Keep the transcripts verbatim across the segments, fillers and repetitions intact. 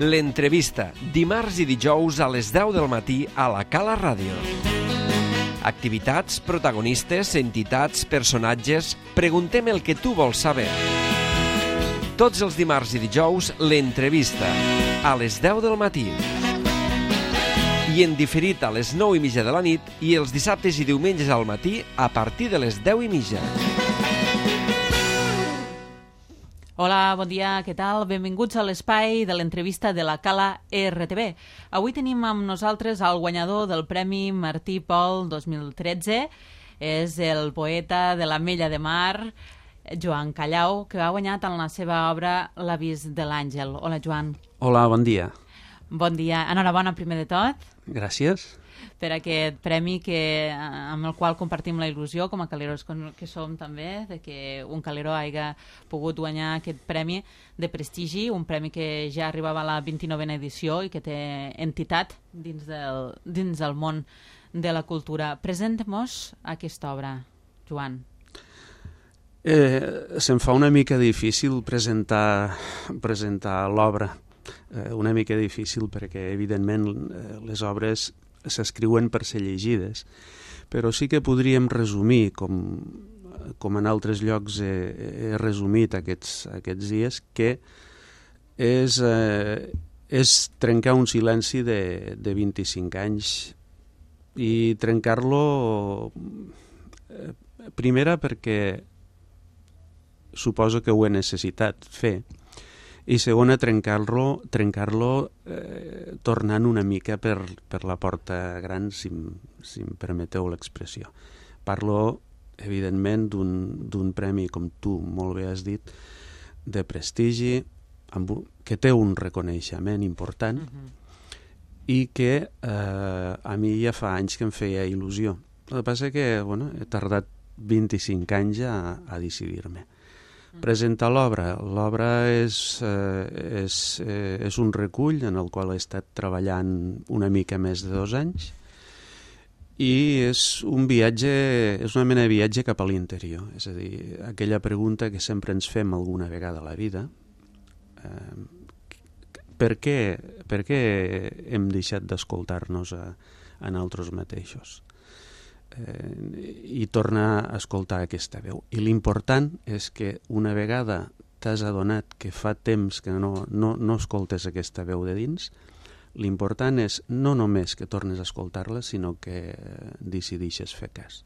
L'entrevista, dimarts i dijous a les deu del matí a la Cala Ràdio. Activitats, protagonistes, entitats, personatges... Preguntem el que tu vols saber. Tots els dimarts i dijous, l'entrevista, a les deu del matí. I en diferit a les nou i mitja de la nit i els dissabtes i diumenges al matí a partir de les deu i mitja. Hola, bon dia, què tal? Benvinguts a l'espai de l'entrevista de la Cala R T V. Avui tenim amb nosaltres el guanyador del Premi Martí Pol dos mil tretze. És el poeta de l'Ametlla de Mar, Joan Callau, que ha guanyat en la seva obra L'avís de l'àngel. Hola, Joan. Hola, bon dia. Bon dia. Enhorabona, primer de tot. Gràcies. Per aquest premi que, amb el qual compartim la il·lusió com a caleros que som també, de que un calero hagi pogut guanyar aquest premi de prestigi, un premi que ja arribava a la vint-i-novena edició i que té entitat dins del, dins del món de la cultura. Presenta-mos aquesta obra, Joan. Eh, se'm fa una mica difícil presentar, presentar l'obra. Eh, una mica difícil perquè, evidentment, eh, les obres s'escriuen per ser llegides, però sí que podríem resumir, com, com en altres llocs he, he resumit aquests, aquests dies, que és, eh, és trencar un silenci de, de vint-i-cinc anys i trencar-lo eh, primera perquè suposo que ho he necessitat fer, i segona, trencar-lo trencar-lo eh, tornant una mica per, per la porta gran, si, si em permeteu l'expressió. Parlo, evidentment, d'un premi, com tu molt bé has dit, de prestigi, amb, que té un reconeixement important, uh-huh. i que eh, a mi ja fa anys que em feia il·lusió. El que passa que bueno, he tardat vint-i-cinc anys a, a decidir-me. Presentar l'obra. L'obra és, eh, és, eh, és un recull en el qual he estat treballant una mica més de dos anys i és un viatge, és una mena de viatge cap a l'interior. És a dir, aquella pregunta que sempre ens fem alguna vegada a la vida, eh, per què, per què hem deixat d'escoltar-nos a, a nosaltres mateixos? Eh, i tornar a escoltar aquesta veu. I l'important és que una vegada t'has adonat que fa temps que no, no, no escoltes aquesta veu de dins, l'important és no només que tornes a escoltar-la, sinó que decideixes fer cas.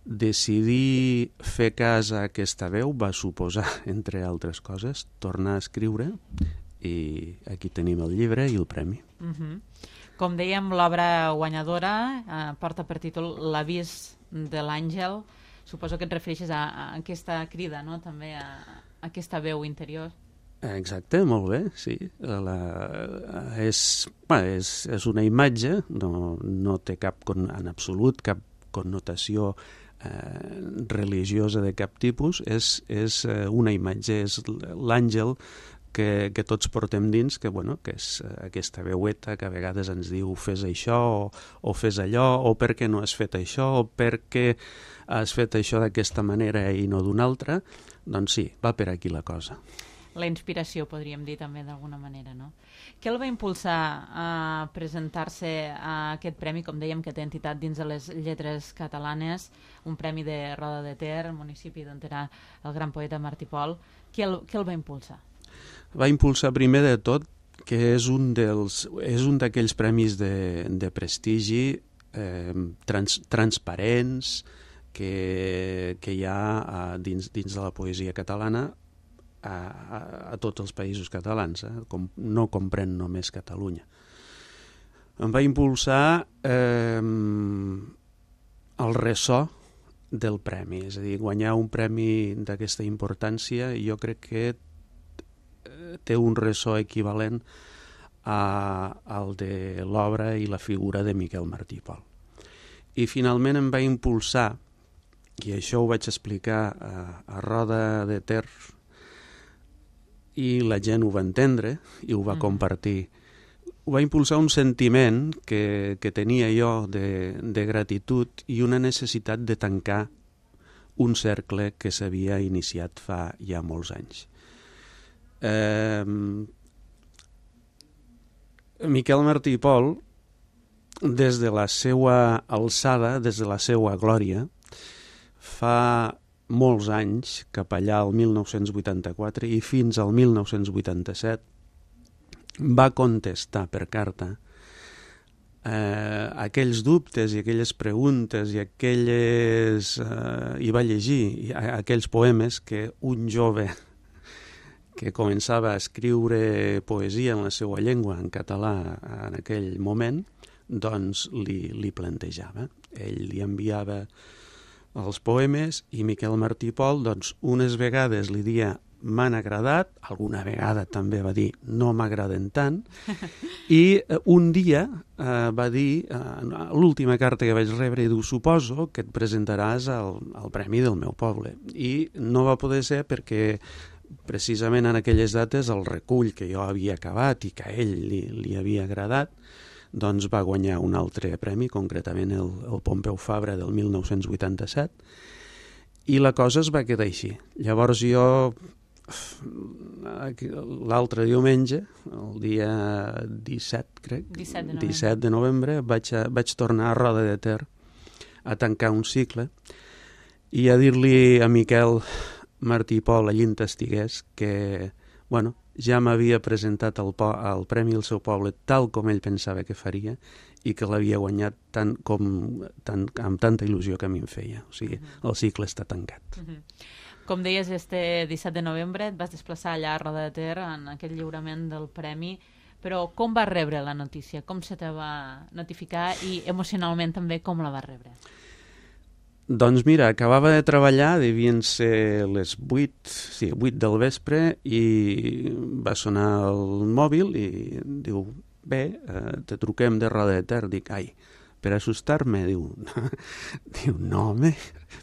Decidir fer cas a aquesta veu va suposar, entre altres coses, tornar a escriure, i aquí tenim el llibre i el premi. Mhm. Com dèiem, l'obra guanyadora eh, porta per títol L'avís de l'àngel. Suposo que et refereixes a, a aquesta crida, no? També a, a aquesta veu interior. Exacte, molt bé, sí. La, és, bueno, és, és una imatge, no, no té cap, en absolut, cap connotació eh, religiosa de cap tipus. És, és una imatge, és l'àngel Que, que tots portem dins, que, bueno, que és aquesta veueta que a vegades ens diu fes això o, o fes allò, o per què no has fet això, o per què has fet això d'aquesta manera i no d'una altra. Doncs sí, va per aquí la cosa. La inspiració, podríem dir també d'alguna manera, no? Què el va impulsar a presentar-se a aquest premi, com dèiem, que té entitat dins de les lletres catalanes, un premi de Roda de Ter, municipi d'on era el gran poeta Martí Pol? Què el, què el va impulsar? Va impulsar primer de tot que és un dels és un d'aquells premis de, de prestigi eh, trans, transparents que, que hi ha a, dins, dins de la poesia catalana a, a, a tots els països catalans, eh? Com, no comprèn només Catalunya. Em va impulsar eh, el ressò del premi, és a dir, guanyar un premi d'aquesta importància. Jo crec que té un ressò equivalent a, al de l'obra i la figura de Miquel Martí Pol. I finalment em va impulsar, i això ho vaig explicar a, a Roda de Ter, i la gent ho va entendre i ho va mm. compartir. Ho va impulsar un sentiment que, que tenia jo de, de gratitud i una necessitat de tancar un cercle que s'havia iniciat fa ja molts anys. Eh, Miquel Martí i Pol, des de la seva alçada, des de la seva glòria, fa molts anys, cap allà al mil nou-cents vuitanta-quatre i fins al mil nou-cents vuitanta-set, va contestar per carta eh, aquells dubtes i aquelles preguntes i aquelles... Eh, i va llegir aquells poemes que un jove que començava a escriure poesia en la seva llengua, en català, en aquell moment, doncs li, li plantejava. Ell li enviava els poemes i Miquel Martí i Pol, doncs, unes vegades li dia m'han agradat, alguna vegada també va dir no m'agraden tant, i un dia eh, va dir, eh, l'última carta que vaig rebre, i diu, suposo que et presentaràs al, al Premi del meu poble. I no va poder ser perquè precisament en aquelles dates el recull que jo havia acabat i que a ell li, li havia agradat, doncs va guanyar un altre premi, concretament el, el Pompeu Fabra del mil nou-cents vuitanta-set, i la cosa es va quedar així. Llavors jo, l'altre diumenge, el dia disset, crec, disset de novembre, disset de novembre vaig, a, vaig tornar a Roda de Ter a tancar un cicle i a dir-li a Miquel Martí i Pol, allí on estigués, que, bueno, ja m'havia presentat el, po el Premi al seu poble tal com ell pensava que faria i que l'havia guanyat tant com, tant, amb tanta il·lusió que a mi em feia. O sigui, el cicle està tancat. Uh-huh. Com deies, este disset de novembre et vas desplaçar allà a Roda de Ter en aquest lliurament del Premi, però com vas rebre la notícia? Com se te va notificar i emocionalment també com la vas rebre? Doncs mira, acabava de treballar, devien ser les vuit, sí, vuit del vespre, i va sonar el mòbil i diu, bé, eh, te truquem de Roda de Ter. Dic, ai, per assustar-me, diu, diu, no, home,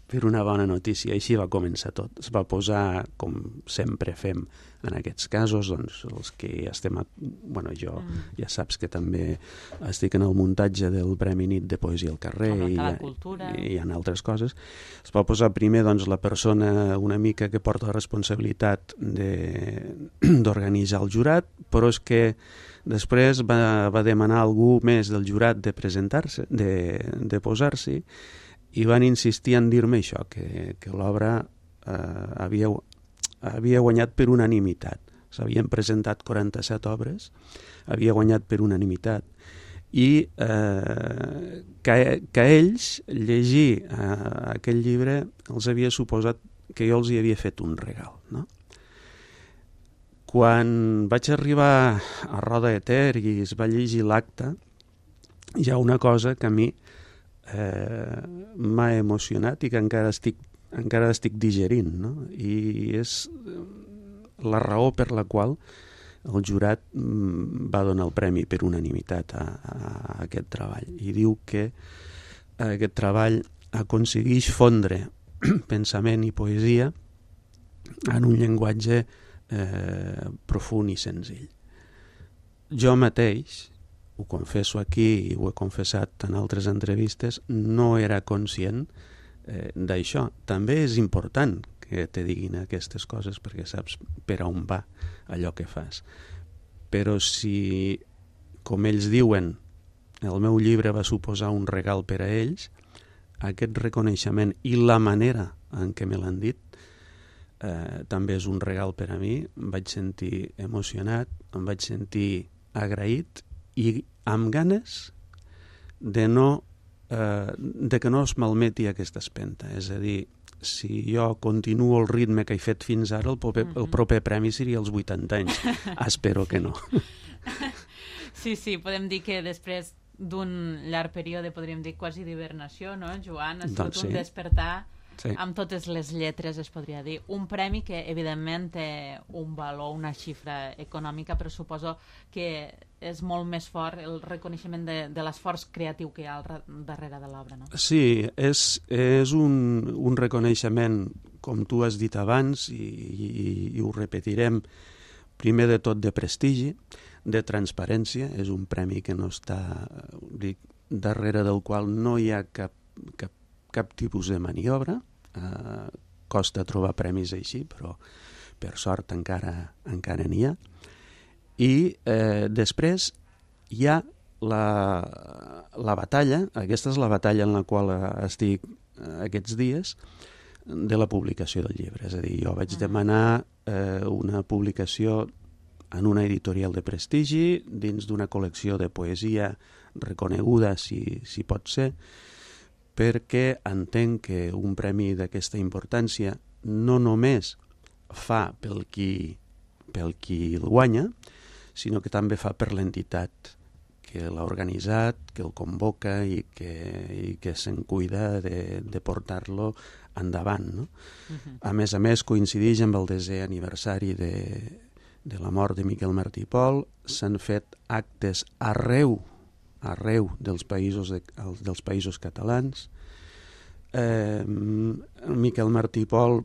per una bona notícia. Així va començar tot. Es va posar, com sempre fem en aquests casos, doncs els que ja estem... A... Bueno, jo mm. ja saps que també estic en el muntatge del Premi Nit de Poesia al Carrer i, i, i en altres coses. Es va posar primer doncs, la persona una mica que porta la responsabilitat d'organitzar el jurat, però és que després va, va demanar algú més del jurat de presentar-se, de, de posar-s'hi, i van insistir en dir-me això, que, que l'obra eh, havia, havia guanyat per unanimitat. S'havien presentat quaranta-set obres, havia guanyat per unanimitat, i eh, que, que ells llegir eh, aquell llibre els havia suposat que jo els hi havia fet un regal, no? Quan vaig arribar a Roda de Ter i es va llegir l'acte, hi ha una cosa que a mi eh, m'ha emocionat i que encara estic, encara estic digerint, no? I és la raó per la qual el jurat va donar el premi per unanimitat a, a aquest treball. I diu que aquest treball aconsegueix fondre pensament i poesia en un llenguatge Eh, profund i senzill. Jo mateix, ho confesso aquí i ho he confessat en altres entrevistes, no era conscient eh, d'això. També és important que te diguin aquestes coses perquè saps per on va allò que fas. Però si, com ells diuen, el meu llibre va suposar un regal per a ells, aquest reconeixement i la manera en què me l'han dit Eh, també és un regal per a mi. Em vaig sentir emocionat, em vaig sentir agraït i amb ganes de, no, eh, de que no es malmeti aquesta espenta. És a dir, si jo continuo el ritme que he fet fins ara, el proper, el proper premi seria als vuitanta anys. Espero que no. Sí, sí, podem dir que després d'un llarg període, podríem dir quasi d'hibernació, no, Joan? Ha sigut doncs, sí. un despertar... Sí. Amb totes les lletres, es podria dir. Un premi que, evidentment, té un valor, una xifra econòmica, però suposo que és molt més fort el reconeixement de, de l'esforç creatiu que hi ha al darrere de l'obra, no? Sí, és, és un, un reconeixement, com tu has dit abans, i, i, i ho repetirem, primer de tot de prestigi, de transparència. És un premi que no està, dic, darrere del qual no hi ha cap, cap cap tipus de maniobra. Eh, costa trobar premis així, però per sort encara encara n'hi ha. I eh, després hi ha la, la batalla, aquesta és la batalla en la qual estic aquests dies, de la publicació del llibre. És a dir, jo vaig demanar eh, una publicació en una editorial de prestigi, dins d'una col·lecció de poesia reconeguda, si, si pot ser, perquè entenc que un premi d'aquesta importància no només fa pel qui, pel qui el guanya, sinó que també fa per l'entitat que l'ha organitzat, que el convoca i que, i que se'n cuida de, de portar-lo endavant. No? Uh-huh. A més a més, coincideix amb el desè aniversari de, de la mort de Miquel Martí i Pol. S'han fet actes arreu, arreu dels països, de, dels països catalans. Eh, Miquel Martí i Pol,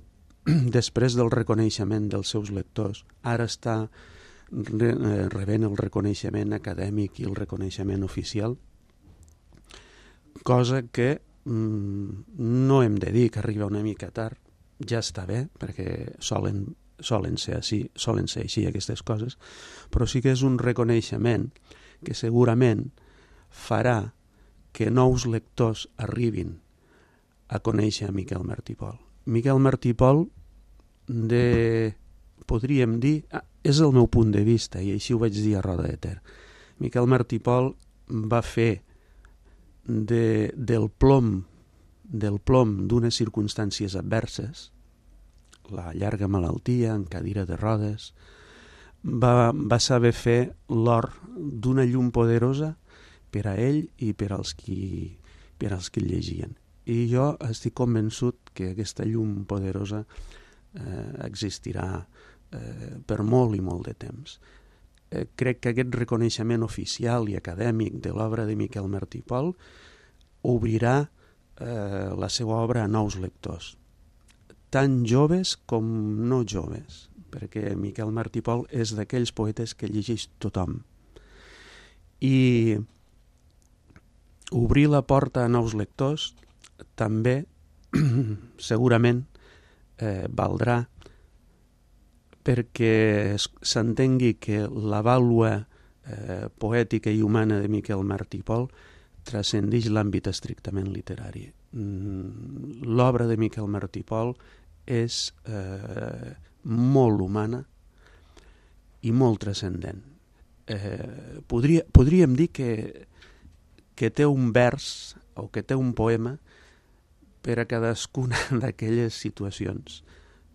després del reconeixement dels seus lectors, ara està rebent el reconeixement acadèmic i el reconeixement oficial, cosa que mm, no hem de dir que arriba una mica tard, ja està bé, perquè solen, solen, ser així, solen ser així aquestes coses, però sí que és un reconeixement que segurament farà que nous lectors arribin a conèixer a Miquel Martí i Pol. Miquel Martí i Pol, de, podríem dir, ah, és el meu punt de vista, i així ho vaig dir a Roda de Ter. Miquel Martí i Pol va fer de, del plom del plom d'unes circumstàncies adverses, la llarga malaltia en cadira de rodes, va, va saber fer l'or d'una llum poderosa per a ell i per als qui, per als qui el llegien. I jo estic convençut que aquesta llum poderosa eh, existirà eh, per molt i molt de temps. Eh, crec que aquest reconeixement oficial i acadèmic de l'obra de Miquel Martí i Pol obrirà eh, la seva obra a nous lectors, tant joves com no joves, perquè Miquel Martí i Pol és d'aquells poetes que llegeix tothom. I obrir la porta a nous lectors també segurament eh, valdrà perquè s'entengui que la vàlua eh, poètica i humana de Miquel Martí i Pol transcendeix l'àmbit estrictament literari. Mm, l'obra de Miquel Martí i Pol és eh, molt humana i molt transcendent. Eh, podria, podríem dir que, que té un vers o que té un poema per a cadascuna d'aquelles situacions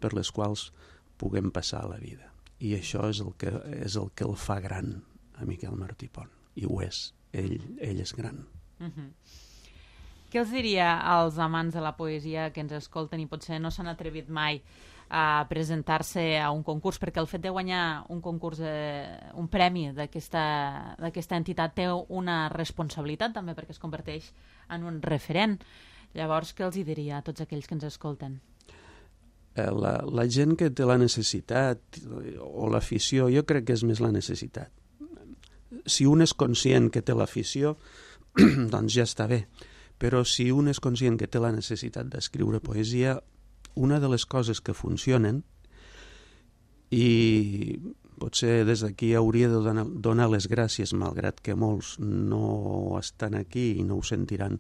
per les quals puguem passar a la vida. I això és el que, és el que el fa gran a Miquel Martí i Pol. I ho és. Ell, ell és gran. Uh-huh. Què els diria als amants de la poesia que ens escolten i potser no s'han atrevit mai a presentar-se a un concurs, perquè el fet de guanyar un concurs, eh, un premi d'aquesta d'aquesta entitat té una responsabilitat també, perquè es converteix en un referent. Llavors, què els hi diria a tots aquells que ens escolten? La, la gent que té la necessitat o l'afició, jo crec que és més la necessitat. Si un és conscient que té l'afició, doncs ja està bé. Però si un és conscient que té la necessitat d'escriure poesia, una de les coses que funcionen, i potser des d'aquí hauria de donar, donar les gràcies, malgrat que molts no estan aquí i no ho sentiran,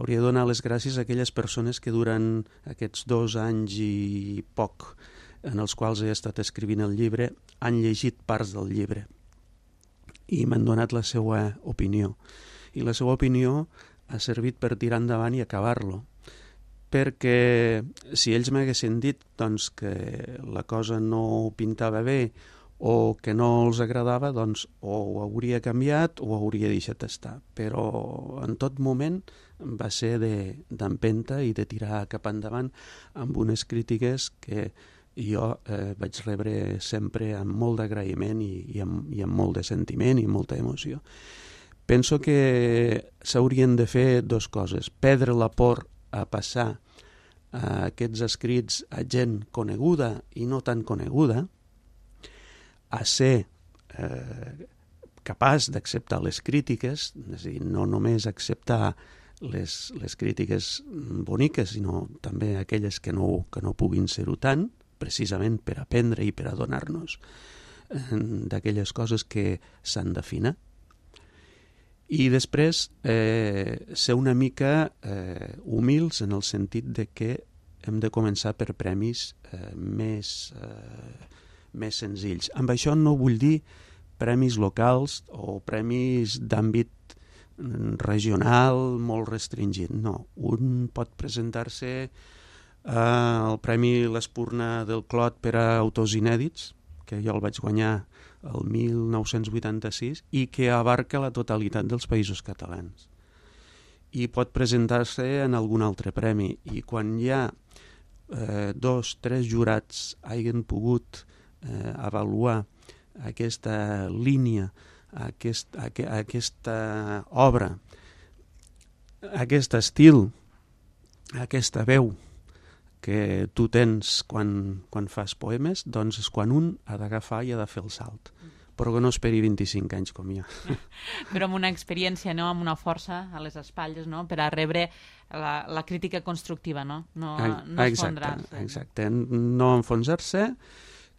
hauria de donar les gràcies a aquelles persones que durant aquests dos anys i poc en els quals he estat escrivint el llibre han llegit parts del llibre i m'han donat la seva opinió. I la seva opinió ha servit per tirar endavant i acabar-lo. Perquè si ells m'haguessin dit doncs, que la cosa no pintava bé o que no els agradava, doncs o ho hauria canviat o ho hauria deixat estar. Però en tot moment va ser d'empenta i de tirar cap endavant amb unes crítiques que jo eh, vaig rebre sempre amb molt d'agraïment i, i, amb, i amb molt de sentiment i molta emoció. Penso que s'haurien de fer dues coses. Perdre la por a passar a aquests escrits a gent coneguda i no tan coneguda, a ser eh, capaç d'acceptar les crítiques, és a dir, no només acceptar les, les crítiques boniques, sinó també aquelles que no, que no puguin ser-ho tant, precisament per aprendre i per adonar-nos eh, d'aquelles coses que s'han d'afinar. I després eh, ser una mica eh, humils en el sentit de que hem de començar per premis eh, més, eh, més senzills. Amb això no vull dir premis locals o premis d'àmbit regional molt restringit. No, un pot presentar-se eh, al Premi l'Espurna del Clot per a autors inèdits, que jo el vaig guanyar el mil nou-cents vuitanta-sis i que abarca la totalitat dels països catalans. I pot presentar-se en algun altre premi. I quan hi ha eh, dos, tres jurats hagin pogut eh, avaluar aquesta línia, aquest, aqu aquesta obra, aquest estil, aquesta veu que tu tens quan, quan fas poemes, doncs és quan un ha d'agafar i ha de fer el salt. Però que no esperi vint-i-cinc anys com jo. Però amb una experiència, no? Amb una força a les espatlles, no? Per a rebre la, la crítica constructiva, no? No, no enfonsar-se. Exacte, no enfonsar-se,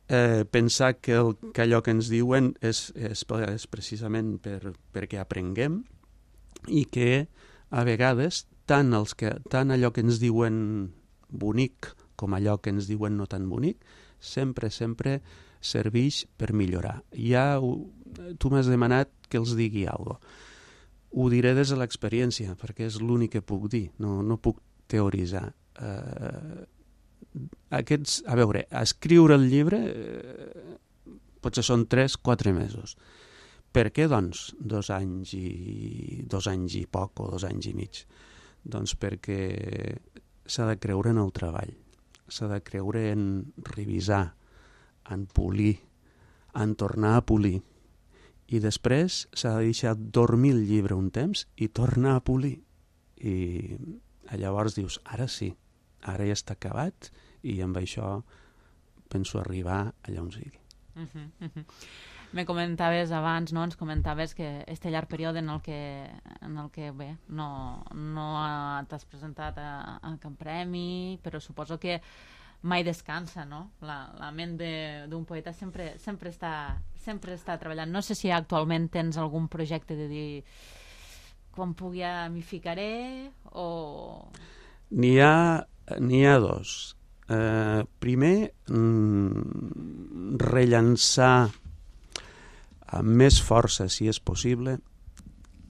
eh, pensar que, el, que allò que ens diuen és, és, és precisament per, perquè aprenguem i que a vegades tant, els que, tant allò que ens diuen bonic com allò que ens diuen no tan bonic, sempre, sempre serveix per millorar. Ja, tu m'has demanat que els digui alguna cosa. Ho diré des de l'experiència, perquè és l'únic que puc dir, no, no puc teoritzar. Uh, aquests, a veure, escriure el llibre eh, potser són tres, quatre mesos. Per què, doncs, dos anys i dos anys i poc o dos anys i mig? Doncs perquè s'ha de creure en el treball, s'ha de creure en revisar, en polir, en tornar a polir. I després s'ha de deixar dormir el llibre un temps i tornar a polir. I llavors dius, ara sí, ara ja està acabat i amb això penso arribar allà on sigui. Uh -huh, uh -huh. Me comentaves abans, no? Ens comentaves que este llarg període en el que, en el que bé, no, no t'has presentat a, a cap premi, però suposo que mai descansa, no? La, la ment d'un poeta sempre, sempre, està, sempre està treballant. No sé si actualment tens algun projecte de dir quan pugui m'hi ficaré o... N'hi ha, n'hi ha dos. Uh, primer, mm, rellançar amb més força, si és possible.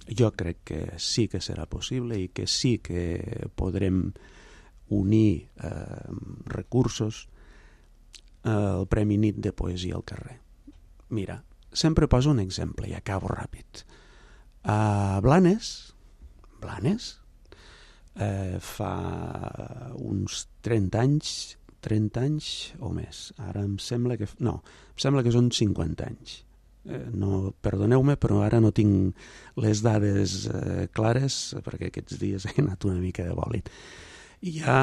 Jo crec que sí que serà possible i que sí que podrem unir eh, recursos al Premi Nit de Poesia al carrer. Mira, sempre poso un exemple i acabo ràpid. A Blanes, Blanes, eh, fa uns trenta anys, trenta anys o més. Ara em sembla que... No, em sembla que són cinquanta anys. Eh, no, perdoneu-me, però ara no tinc les dades eh, clares perquè aquests dies he anat una mica de bòlit. Hi ha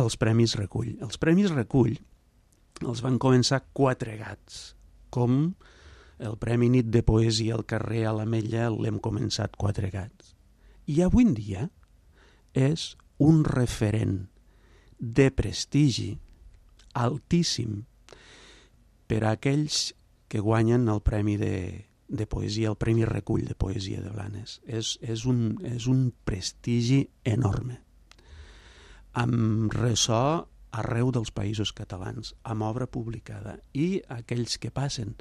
els Premis Recull. Els Premis Recull els van començar quatre gats, com el Premi Nit de Poesia al carrer a l'Ametlla l'hem començat quatre gats. I avui en dia és un referent de prestigi altíssim per a aquells que guanyen el Premi de, de Poesia, el Premi Recull de Poesia de Blanes. És, és, un, és un prestigi enorme, amb ressò arreu dels països catalans, amb obra publicada. I aquells que passen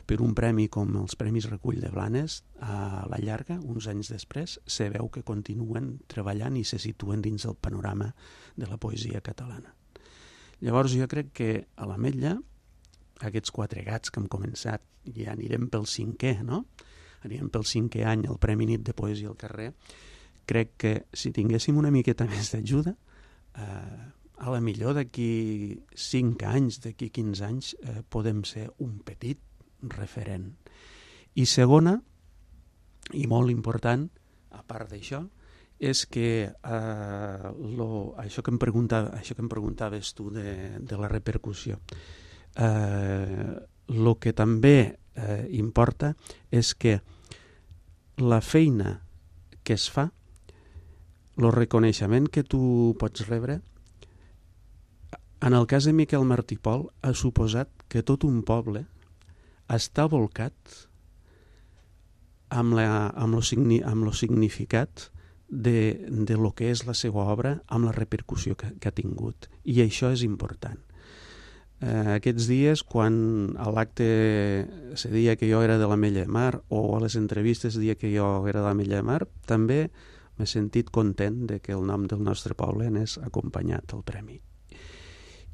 per un premi com els Premis Recull de Blanes, a la llarga, uns anys després, se veu que continuen treballant i se situen dins el panorama de la poesia catalana. Llavors jo crec que a l'Ametlla, aquests quatre gats que hem començat, ja anirem pel cinquè, no? Anirem pel cinquè any al Premi Nit de Poesia al carrer. Crec que si tinguéssim una miqueta més d'ajuda, eh, a la millor d'aquí cinc anys, d'aquí quinze anys, eh, podem ser un petit referent. I segona, i molt important, a part d'això, és que eh, lo, això, que em preguntava, això que em preguntaves tu de, de la repercussió, el eh, que també eh, importa és que la feina que es fa, el reconeixement que tu pots rebre, en el cas de Miquel Martí i Pol, ha suposat que tot un poble està volcat amb, la, amb, lo, signi, amb lo significat de, de lo que és la seva obra, amb la repercussió que, que ha tingut. I això és important. Eh, aquests dies, quan a l'acte se deia que jo era de l'Ametlla de Mar, o a les entrevistes deia que jo era de l'Ametlla de Mar, també m'he sentit content de que el nom del nostre poble n'és acompanyat al premi.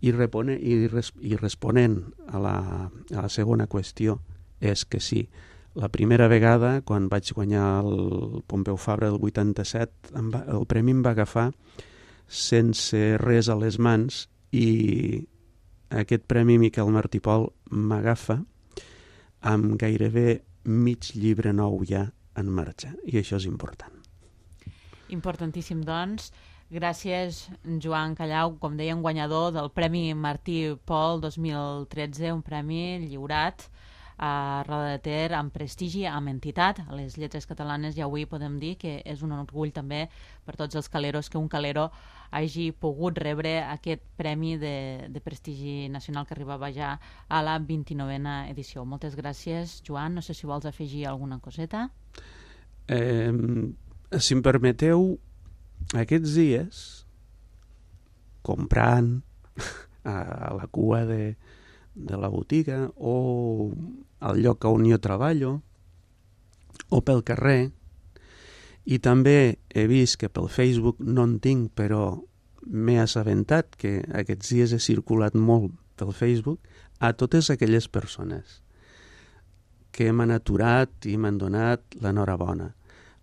I, repone, i, res, i responent a la, a la segona qüestió, és que sí, la primera vegada, quan vaig guanyar el Pompeu Fabra del vuitanta-set, em va, el premi em va agafar sense res a les mans, i aquest premi Miquel Martí Pol m'agafa amb gairebé mig llibre nou ja en marxa, i això és important. Importantíssim, doncs. Gràcies, Joan Callau, com dèiem, guanyador del Premi Martí Pol dos mil tretze, un premi lliurat a Roda de Ter amb prestigi, amb entitat a les lletres catalanes, i avui podem dir que és un orgull també per tots els caleros que un calero hagi pogut rebre aquest premi de, de prestigi nacional que arribava ja a la vint-i-novena edició. Moltes gràcies, Joan. No sé si vols afegir alguna coseta. Eh, si em permeteu, aquests dies, comprant a la cua de de la botiga o al lloc on jo treballo o pel carrer, i també he vist que pel Facebook no en tinc, però m'he assabentat que aquests dies he circulat molt pel Facebook, a totes aquelles persones que m'han aturat i m'han donat l'enhorabona,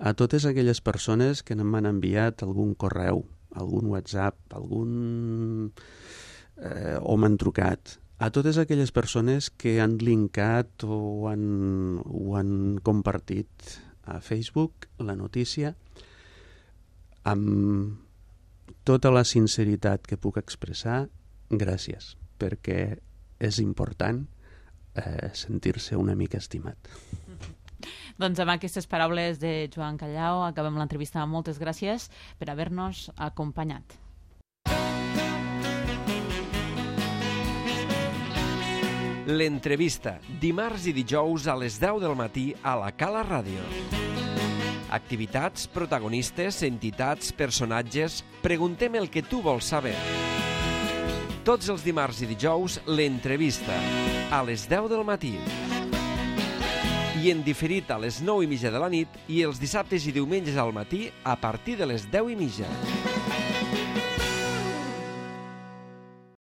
a totes aquelles persones que m'han enviat algun correu, algun WhatsApp, algun eh, o m'han trucat, a totes aquelles persones que han linkat o han, o han compartit a Facebook la notícia, amb tota la sinceritat que puc expressar, gràcies, perquè és important eh, sentir-se una mica estimat. Doncs amb aquestes paraules de Joan Callau acabem l'entrevista. Moltes gràcies per haver-nos acompanyat. L'entrevista, dimarts i dijous a les deu del matí a la Cala Ràdio. Activitats, protagonistes, entitats, personatges... Preguntem el que tu vols saber. Tots els dimarts i dijous, l'entrevista, a les deu del matí. I en diferit a les nou i mitja de la nit, i els dissabtes i diumenges al matí a partir de les deu i mitja.